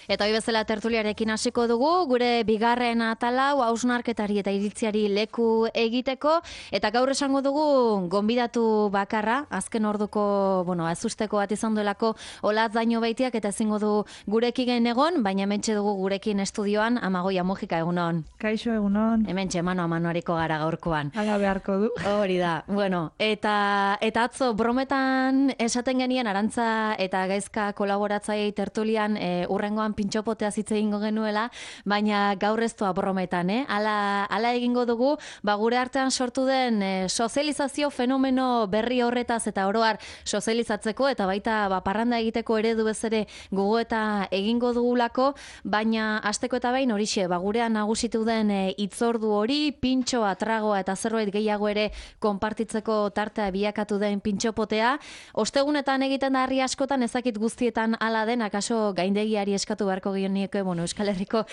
Eta hoi bezala tertuliarekin hasiko dugu, gure bigarren atalau hausnarketari eta iritziari leku egiteko, eta gaur esango dugu gonbidatu bakarra, azken orduko, azusteko bat izan duelako Olatz Daño Beitiak eta ezingo du gurekin egon, baina hementxe dugu gurekin estudioan Amagoia Mujika, egunon. Kaixo, egunon. Hementxe mano a manuariko gara gaurkoan. Hala beharko du. Hori da. Eta atzo brometan esaten genien Arantza eta Gaizka kolaboratzailei tertulian urrengoan pintxopotea hitz egingo genuela, baina gaur ez doa brometan, Hala egingo dugu, gure artean sortu den sozializazio fenomeno berri horretaz eta oroar sozializatzeko eta baita parranda egiteko eredu bezere gogoeta egingo dugulako, baina hasteko eta behin horixe, gurean nagusitu den hitzordu hori, pintxoa, tragoa eta zerbait gehiago ere konpartitzeko tartea bilakatu den pintxopotea. Ostegunetan egiten da harri askotan, ezakit guztietan hala den, akaso gaindegiari eskatu beharko gionieke, Euskal Herriko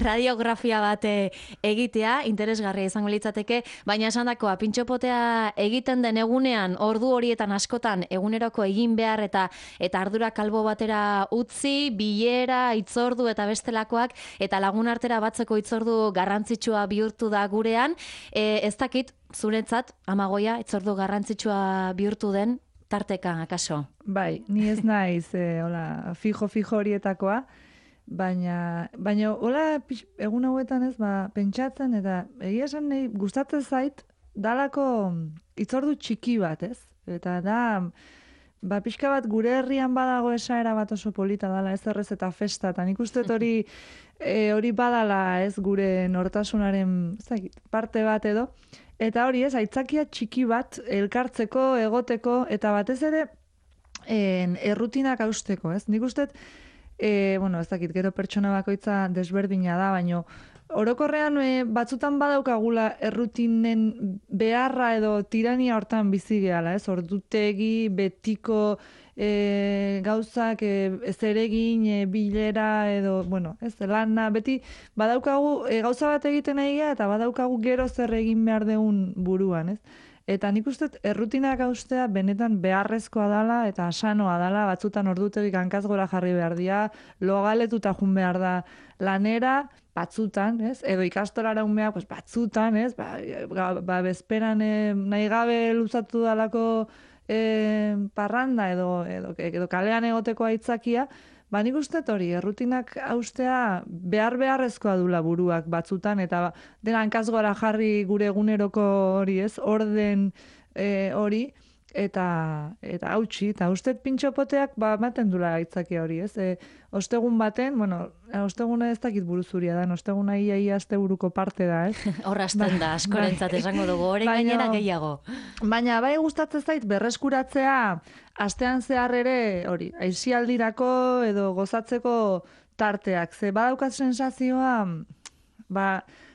radiografia bat egitea, interesgarria izango litzateke, baina esandakoa, pintxopotea egiten den egunean, ordu horietan askotan, eguneroko egin behar eta ardura kalbo batera utzi, bilera, hitzordu eta bestelakoak, eta lagun artera batzeko hitzordu garrantzitsua bihurtu da gurean. Ez dakit, zuretzat, Amagoia, hitzordu garrantzitsua bihurtu den, tarteka, akaso? Bai, ni ez naiz, fijo horietakoa, baina hola egun hauetan ez, pentsatzen, eta egia esan nahi gustatzen zait, dalako hitzordu txiki bat, ez? Eta da, pixka bat gure herrian badago esaera bat oso polita dala, ez errez eta festa, eta nik uste hori badala, ez, gure nortasunaren parte bat edo, eta hori ez, aitzakia txiki bat elkartzeko, egoteko, eta batez ere errutinak hausteko, ez? Nik uste, ez dakit, gero pertsona bakoitza desberdina da, baino orokorrean batzutan badaukagula errutinen beharra edo tirania hortan bizi gehala, ez? Ordutegi, betiko gauzak, zeregin, bilera edo, ez, lana, beti badaukagu gauza bat egiten nahi eta badaukagu gero zer egin behar deun buruan, ez? Eta nik uste errutinak haustea benetan beharrezkoa dala eta sanoa dala, batzutan ordutegik hankaz gora jarri behar dira, logaletuta jun behar da lanera, batzutan, ez? Edo ikastolara unmeak, batzutan, ez? Bezperan nahi gabe luzatu dalako parranda edo kalean egoteko aitzakia, nik uste hori, errutinak haustea beharrezkoa dula buruak batzutan, eta dena hankaz gora jarri gure eguneroko hori, ez? Orden hori, eta hautsi, eta uste pintxopoteak ematen dula aitzakia hori, ez? Ostegun baten, osteguna ez dakit buruzuria da, osteguna ia asteburuko parte da, ez? Horrazten da, askorentzat esango dugu, horren gainera gehiago. Baina bai gustatzen zait berreskuratzea astean zehar ere, hori, aisialdirako edo gozatzeko tarteak. Ze badaukat sensazioa,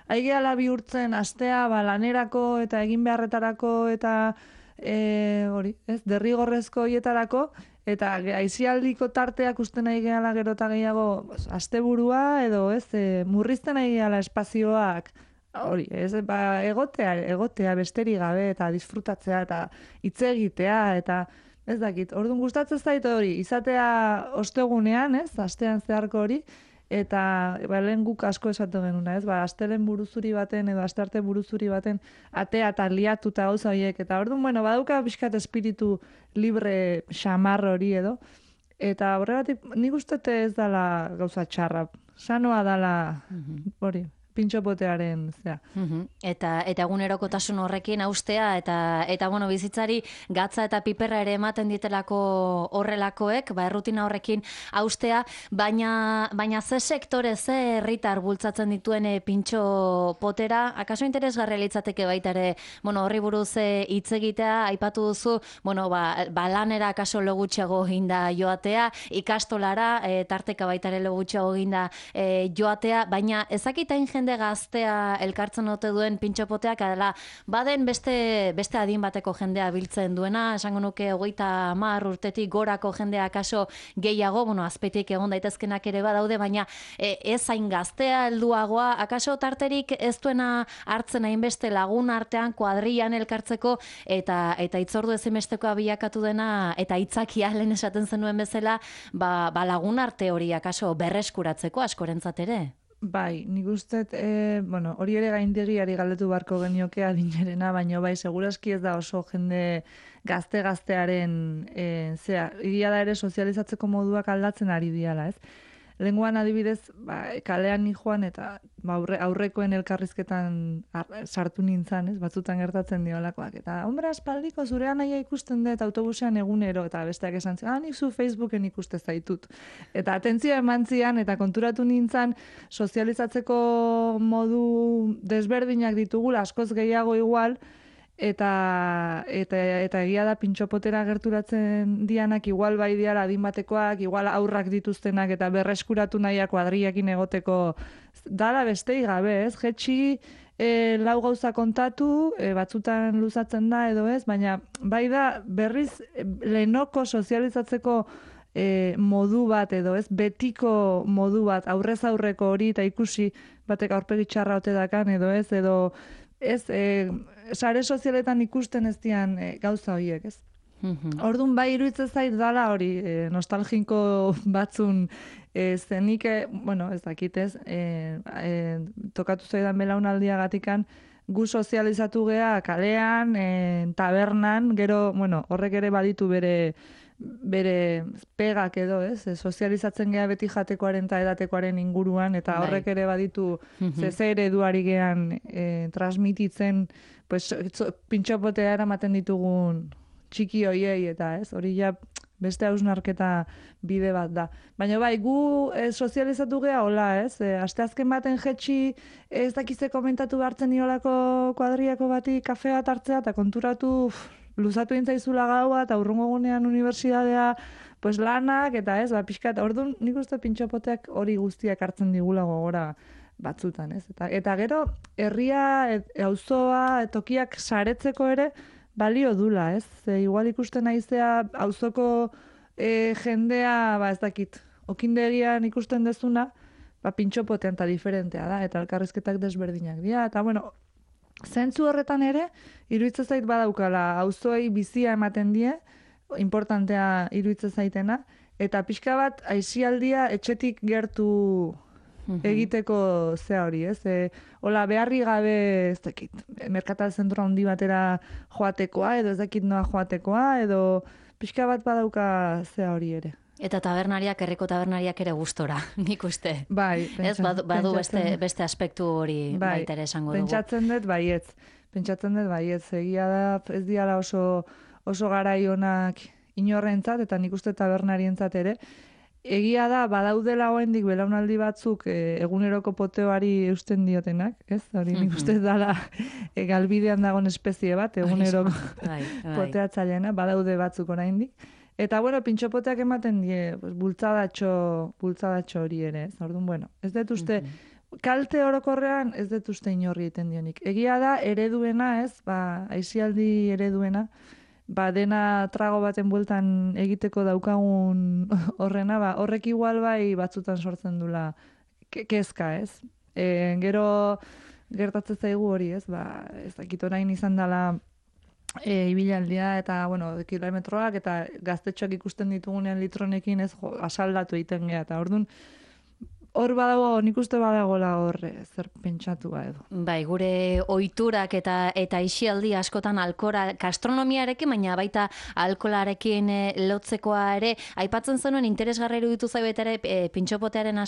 aigeala bihurtzen astea lanerako eta egin beharretarako eta hori, ez, derrigorrezko hietarako, eta aisialdiko tarteak usten nahi gehala gero eta gehiago asteburua edo ez, murrizten nahi gehala espazioak, hori, ez, egotea besterik gabe eta disfrutatzea eta hitz egitea eta ez dakit, orduan gustatzen zait hori, izatea ostegunean, ez, astean zeharko hori, eta lehen guk asko esatu genuna, ez, astelen buruzuri baten edo astearte buruzuri baten atea eta liatuta gauza horiek, eta orduan, badauka pixkat espiritu libre xamar hori edo, eta horregatik nik uste ez dala gauza txarra, sanoa dala hori, pintxopotearen zea. Eta egunerokotasun horrekin haustea, eta bizitzari gatza eta piperra ere ematen ditelako horrelakoek, errutina horrekin haustea, baina ze sektore, ze herritar bultzatzen dituen pintxopotera, akaso interesgarria litzateke baita ere, horri buruz hitz egitea, aipatu duzu, lanera akaso logutxeago ginda joatea, ikastolara, tarteka baita ere logutxeago ginda joatea, baina ezakitain jende gaztea elkartzen ote duen pintxopoteak, adela, baden beste adin bateko jendea biltzen duena, esango nuke 30 urtetik gorako jendea kaso gehiago, azpetik egon daitezkenak ere badaude, baina ez hain gaztea helduagoa, akaso tarterik ez duena hartzen hainbeste lagun artean kuadrillan elkartzeko eta itzordu ezinbestekoa bilakatu dena eta hitzakia lehen esaten zenuen bezala, lagun arte hori akaso berreskuratzeko askorentzat ere. Bai, nik uste, hori ere gaindegiari galdetu barko genioke adinerena, baina bai, segurazki ez da oso jende gaztearen, egia da ere sozializatzeko moduak aldatzen ari diala, ez? Lenguan adibidez, kalean ni joan eta aurrekoen elkarrizketan sartu nintzen, ez? Batzutan gertatzen diolakoak. Eta, hombre, aspaldiko zurean naia ikusten dut autobusean egunero, eta besteak esan zen, nik zu Facebooken ikuste zaitut. Eta atentzioa eman zian, eta konturatu nintzen, sozializatzeko modu desberdinak ditugula, askoz gehiago igual, eta egia da pintxopotera gerturatzen dianak igual bai diara adin batekoak, igual aurrak dituztenak eta berreskuratu nahiak kuadriakin egoteko dala bestei gabe, ez? Jetxi lau gauza kontatu, batzutan luzatzen da edo ez, baina bai da berriz lehenoko sozializatzeko modu bat edo ez, betiko modu bat, aurrez aurreko hori eta ikusi batek aurpegi txarra ote dakan edo ez, sare sozialetan ikusten ez dian gauza horiek, ez? Orduan bai iruditzen zait dala hori nostalgiko batzun zenik, ez dakitez, tokatu zaidan belaunaldiagatikan gu sozializatu gea kalean, tabernan, gero, horrek ere baditu bere pegak edo, ez? Sozializatzen gea beti jatekoaren eta edatekoaren inguruan, eta horrek ere baditu ze ereduari gean transmititzen, pintxopotea eramaten ditugun txiki hoiei, eta ez? Hori ja beste hausnarketa bide bat da. Baina bai, gu sozializatu gea hola, ez? Asteazken baten jetxi ez dakize komentatu behartzen niolako kuadriako bati kafea bat hartzea, eta konturatu luzatu intzaizula gaua, eta urrungo gunean unibertsitatea lanak, eta ez, pixkat, orduan nik uste pintxopoteak hori guztiak hartzen digula gogora batzutan, ez? Eta gero, herria, auzoa, tokiak saretzeko ere, balio dula, ez? Igual ikusten naizea auzoko jendea, ez dakit, okindegian ikusten dezuna, pintxopotean eta diferentea da, eta elkarrizketak desberdinak dira, eta zentzu horretan ere, iruditzen zait badaukala, auzoei bizia ematen die, importantea iruditzen zaitena, eta pixka bat aisialdia etxetik gertu egiteko zea hori, ez? Hola, beharri gabe, ez dakit, merkatal zentroa handi batera joatekoa, edo ez dakit noa joatekoa, edo pixka bat badauka zea hori ere. Eta tabernariak, herriko tabernariak ere gustora, nik uste. Bai, badu beste aspektu hori baita ere esango dugu. Pentsatzen dut baietz, egia da ez diala oso garai onak inorrentzat, eta nik uste tabernarientzat ere. Egia da, badaudela oraindik belaunaldi batzuk eguneroko poteoari eusten diotenak, ez? Hori nik uste dala galbidean dagoen espezie bat, eguneroko poteatzaileena, badaude batzuk oraindik. Eta, pintxopoteak ematen die, bultzadatxo hori ere, ez? Orduan, ez dut uste, kalte orokorrean ez dut uste inorri egiten dionik. Egia da, ereduena, ez? Aisialdi ereduena, dena trago baten bueltan egiteko daukagun horrena, horrek igual bai batzutan sortzen dula kezka, ez? Gero gertatzen zaigu hori, ez? Ez dakit orain izan dela ibilaldia eta, kilometroak eta gaztetxoak ikusten ditugunean litronekin ez asaldatu egiten gea, eta orduan hor badago, nik uste badagola hor zer pentsatua edo. Bai, gure ohiturak eta isialdi askotan gastronomiarekin, baina baita alkolarekin lotzekoa ere, aipatzen zenuen interesgarra iruditu zaitu ere pintxopotearen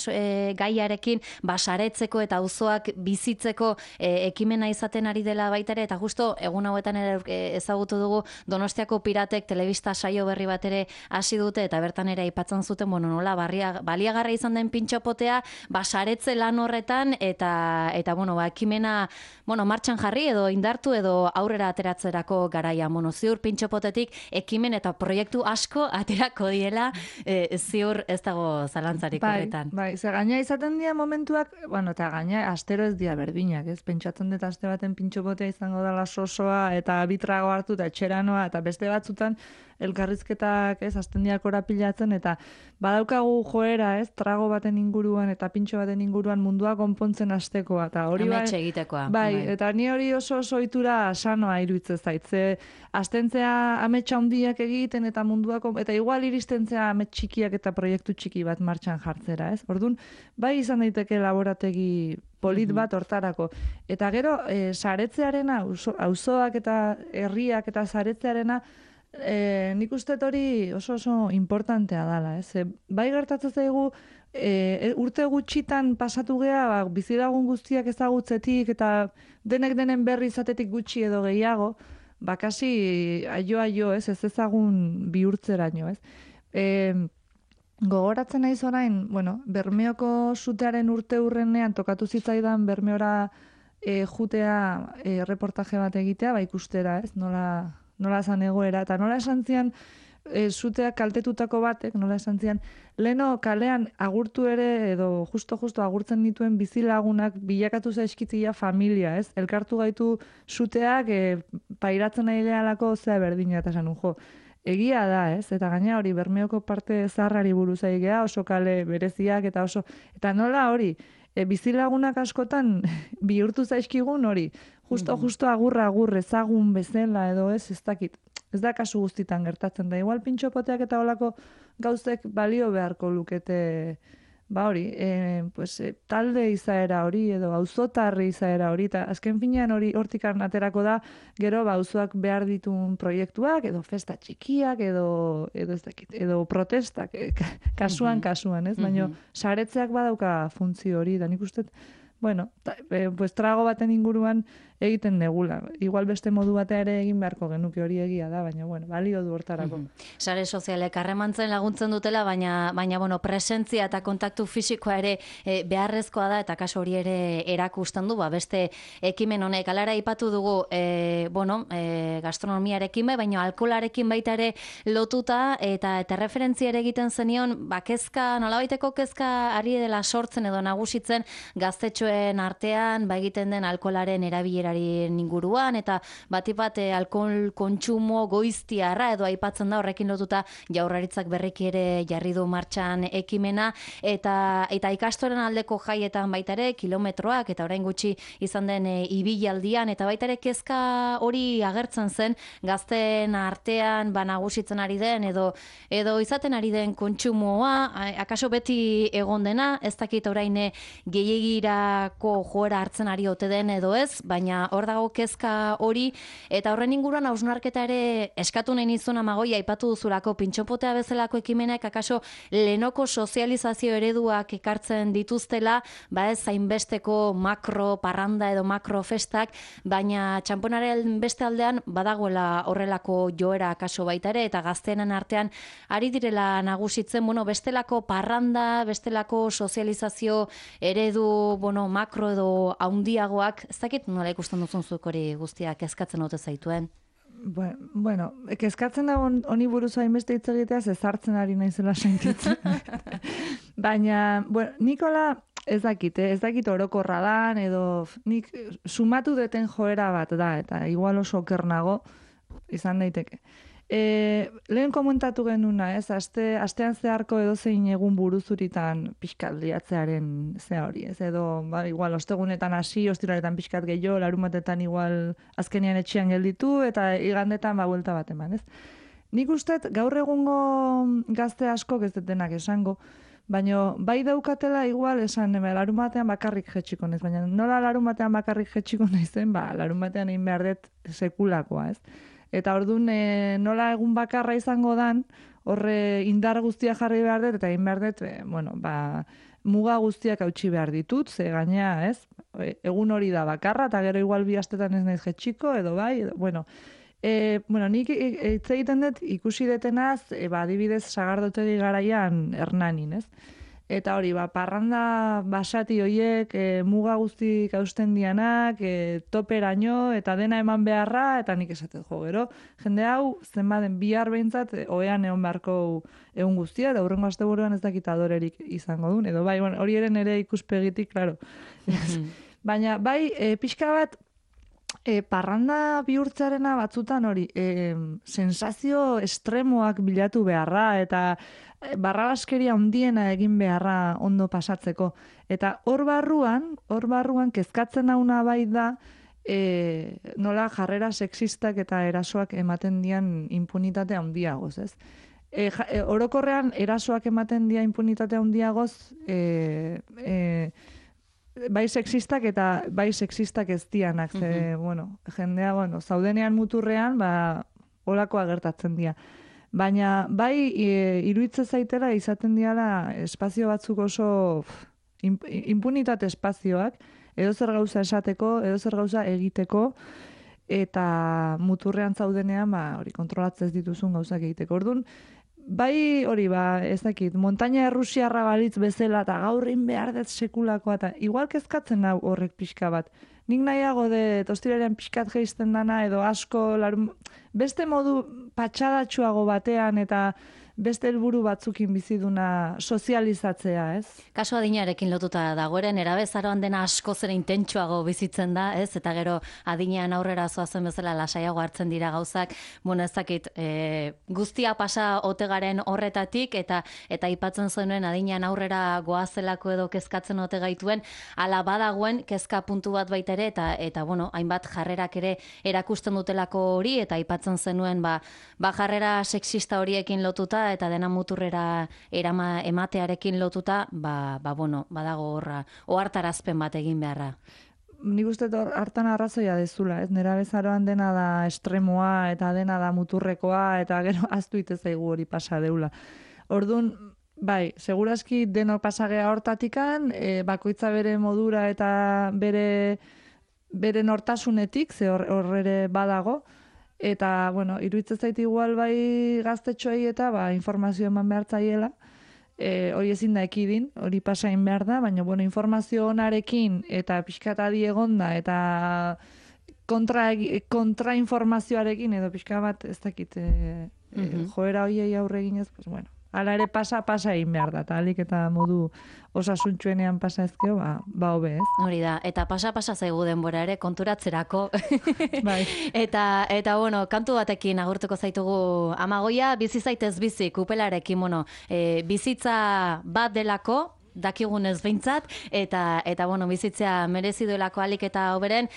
gaiarekin basaretzeko eta auzoak bizitzeko ekimena izaten ari dela baita ere, eta justo egun hauetan ere ezagutu dugu Donostiako Piratek telebista saio berri bat ere hasi dute, eta bertan ere aipatzen zuten, nola baliagarra izan den pintxopotea, gea, saretze lan horretan, eta bueno, ekimena, martxan jarri edo indartu edo aurrera ateratzerako garaia. Ziur pintxopotetik ekimen eta proiektu asko aterako diela, ziur ez dago zalantzarik horretan. Bai, ze gaina izaten dira momentuak, eta gaina astero ez dira berdinak, ez? Pentsatzen dut aste baten pintxopotea izango dela sosoa, eta bitrago hartu, eta etxeranoa, eta beste batzutan elkarrizketak, ez, hasten dira korapilatzen, eta badaukagu joera, ez, trago baten inguruan, eta pintxo baten inguruan mundua konpontzen hastekoa, eta hori ametxe egitekoa. Bai, eta ni hori oso ohitura sanoa iruditzen zait, ze astentzea ametsa handiak egiten eta munduako, eta igual iristentzea amets txikiak eta proiektu txiki bat martxan jartzera, ez? Orduan, bai izan daiteke laborategi polit bat hortarako. Eta gero, saretzearena, auzoak eta herriak eta saretzearena, nik uste hori oso importantea dala, ez? Bai gertatzen zaigu, urte gutxitan pasatu gea, bizilagun guztiak ezagutzetik eta denek denen berri izatetik gutxi edo gehiago, kasi aio, ez ezagun bihurtzeraino, ez? Gogoratzen naiz orain, Bermeoko sutearen urte hurrenean tokatu zitzaidan Bermeora jutea reportaje bat egitea, ikustera, ez? Nola zan egoera, eta nola esan zian zuteak kaltetutako batek, nola esan zian, leno kalean agurtu ere, edo justo agurtzen dituen bizilagunak bilakatu zaizkitzia familia, ez? Elkartu gaitu zuteak pairatzen nahi gehalako zea berdina, eta esan egia da, ez? Eta gaina hori Bermeoko parte zaharrari buruz aigea, oso kale bereziak, eta nola hori, bizilagunak askotan bihurtu zaizkigun hori, justo agur ezagun bezala edo ez dakit. Ez da kasu guztitan gertatzen da. Igual pintxopoteak eta olako gauzek balio beharko lukete, talde izaera hori edo auzotarri izaera hori, eta azken finean hori hortik aterako da, gero auzoak behar ditun proiektuak, edo festa txikiak, edo ez dakit, edo protestak, kasuan, ez? Baina saretzeak badauka funtzio hori, da nik uste, trago baten inguruan egiten negula. Igual beste modu batea ere egin beharko genuke, hori egia da, baina balio du hortarako. Sare sozialek harremantzen laguntzen dutela, baina presentzia eta kontaktu fisikoa ere beharrezkoa da, eta kaso hori ere erakusten du, beste ekimen honek. Alara ipatu dugu, gastronomiarekin baina alkoholarekin baita ere lotuta, eta referentzia ere egiten zenion, kezka, nolabaiteko kezka ari dela sortzen edo nagusitzen gaztetxoen artean, egiten den alkoholaren erabileraren inguruan, eta bat alkohol kontsumo goiztiarra edo aipatzen da, horrekin lotuta Jaurlaritzak berriki ere jarri du martxan ekimena, eta ikastoren aldeko jaietan baita ere kilometroak, eta orain gutxi izan den ibilaldian, eta baita ere kezka hori agertzen zen gazten artean nagusitzen ari den edo izaten ari den kontsumoa, akaso beti egon dena, ez dakit orain gehiagirako joera hartzen ari ote den edo ez, baina hor dago kezka hori, eta horren inguruan hausnarketa ere eskatu nahi nizun Amagoia, aipatu duzulako pintxopotea bezalako ekimenek akaso lehenoko sozializazio ereduak ekartzen dituztela, ez zainbesteko makro parranda edo makro festak, baina txamponaren beste aldean badagoela horrelako joera akaso baita ere, eta gaztenen artean ari direla nagusitzen, bestelako parranda, bestelako sozializazio eredu, makro edo haundiagoak, ez dakit nola ikusten duzun zuk hori guztiak kezkatzen ote zaituen? Kezkatzen da honi buruz hainbeste hitz egitea, zezartzen ari naizela sentitzen. Baina, Nikola, ez dakit orokorra dan, edo nik sumatu deten joera bat da, eta igual oso okernago izan daiteke. Lehen komentatu genuna, astean zeharko edo zein egun buruzuritan pixkat liatzearen zea hori, ez? Edo, igual, ostegunetan hasi, ostiraretan pixkat gehiago, larumatetan igual azkenean etxean gelditu, eta igandetan buelta bat eman, ez? Nik usteet, gaur egungo gazte asko ez detenak esango, baina bai daukatela igual esan, larumatean bakarrik jetxiko naiz, baina nola larumatean bakarrik jetxiko naizen, larumatean egin behar dut sekulakoa, ez? Eta orduan nola egun bakarra izango dan, horre indar guztia jarri behar dut, eta egin behar dut, muga guztiak hautsi behar ditut, ze gaina, ez? Egun hori da bakarra, eta gero igual bi astetan ez naiz jetxiko, edo bai, nik hitz egiten dut ikusi detenaz, adibidez sagardotegi garaian Hernanin, ez? Eta hori, parranda basati hoiek, muga guztik hausten dianak, toperaino, eta dena eman beharra, eta nik esatet jo, gero, jende hau, zenbaden bihar behintzat, oean egon beharko egun guztia, eta hurrengo asteburuan ez dakit adorerik izango duen, edo bai, bueno, hori eren ere ikuspegitik, claro. Baina, bai, pixka bat, parranda bihurtzarena batzutan hori, sensazio estremoak bilatu beharra, eta barrabaskeria handiena egin beharra ondo pasatzeko. Eta hor barruan kezkatzen nauna bai da, nola jarrera sexistak eta erasoak ematen dian impunitate handiagoz, ez? Orokorrean erasoak ematen dia impunitate handiagoz, bai sexistak eta bai sexistak ez dianak, bueno, jendea, bueno, zaudenean muturrean, holakoa gertatzen dira. Baina, bai, iruditzen zaitela izaten diala espazio batzuk oso impunitate espazioak, edo zer gauza esateko, edo zer gauza egiteko, eta muturrean zaudenean, hori kontrolatzez dituzun gauzak egiteko. Orduan, bai, hori, ez dakit, montaña errusiarra balitz bezala, eta gaurrin behar dut sekulakoa, eta igual kezkatzen hau horrek pixka bat. Nik nahiago ostiralean pixkat geizten dana, edo asko, beste modu patxadatxuago batean, eta beste helburu batzukin biziduna sozializatzea, ez? Kasu adinarekin lotuta dagoeren, erabezaroan dena asko zera intentsuago bizitzen da, ez? Eta gero adinean aurrera zoazen bezala lasaiago hartzen dira gauzak, bueno, ez dakit, guztia pasa otegaren horretatik, eta aipatzen zenuen adinean aurrera goazelako edo kezkatzen ote gaituen, ala badagoen kezka puntu bat baita ere, eta bueno, hainbat jarrerak ere erakusten dutelako hori, eta aipatzen zenuen, jarrera sexista horiekin lotuta, eta dena muturrera ematearekin lotuta, bueno, badago horra, ohartarazpen bat egin beharra. Nik uste hartan arrazoia dezula, ez? Nera bezaroan dena da estremoa, eta dena da muturrekoa, eta gero aztu zaigu hori pasa deula. Orduan, bai, segurazki denok pasagea hortatikan, bakoitza bere modura eta bere nortasunetik, ze horre badago, eta, bueno, iruditzen zait igual bai gaztetxoei eta informazio eman behar zaiela, hori ezin da ekidin, hori pasain behar da, baina, bueno, informazio onarekin eta pixkat adi egonda eta kontrainformazioarekin edo pixka bat ez dakit joera hoiei aurre eginez, pues, bueno, hala ere pasa egin behar da, eta alik eta modu osasuntxuenean pasa ezkeo, hobe, ez? Hori da, eta pasa zaigu denbora ere konturatzerako. Bai. Eta, bueno, kantu batekin agurtuko zaitugu Amagoia, bizi zaitez bizi, kupelarekin, bueno, bizitza bat delako, dakigunez behintzat, eta bueno, bizitzea merezi duelako alik eta hoberen,